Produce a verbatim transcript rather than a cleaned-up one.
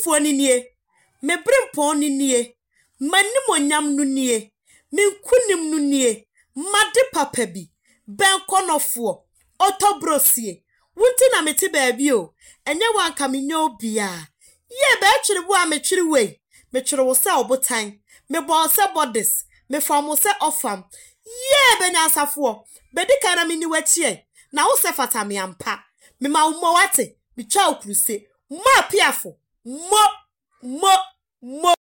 M'odiyifoɔ no nie, me berempɔn no nie, m'animuonyam no nie, me nkonim no nie, m'ade papa bi, bɛnkɔnɔfoɔ, ɔtɔbrosie, wo nti na mete baabi o, ɛnyɛ wo anka menyɛ obiara. Yie bɛɛtwere wo a metwere wei, metwere wo sɛ ɔbotan, mebɔ wo sɛ bɔdes, mefam wo sɛ ɔfam. Yie bɛnyansafoɔ, bɛdi kan na menni w'akyi ɛ, na wo sɛ fata me ampa. Mema wo mmɔ wate, metwa wo kuruse. Mo apiafo, mo, mo, mo.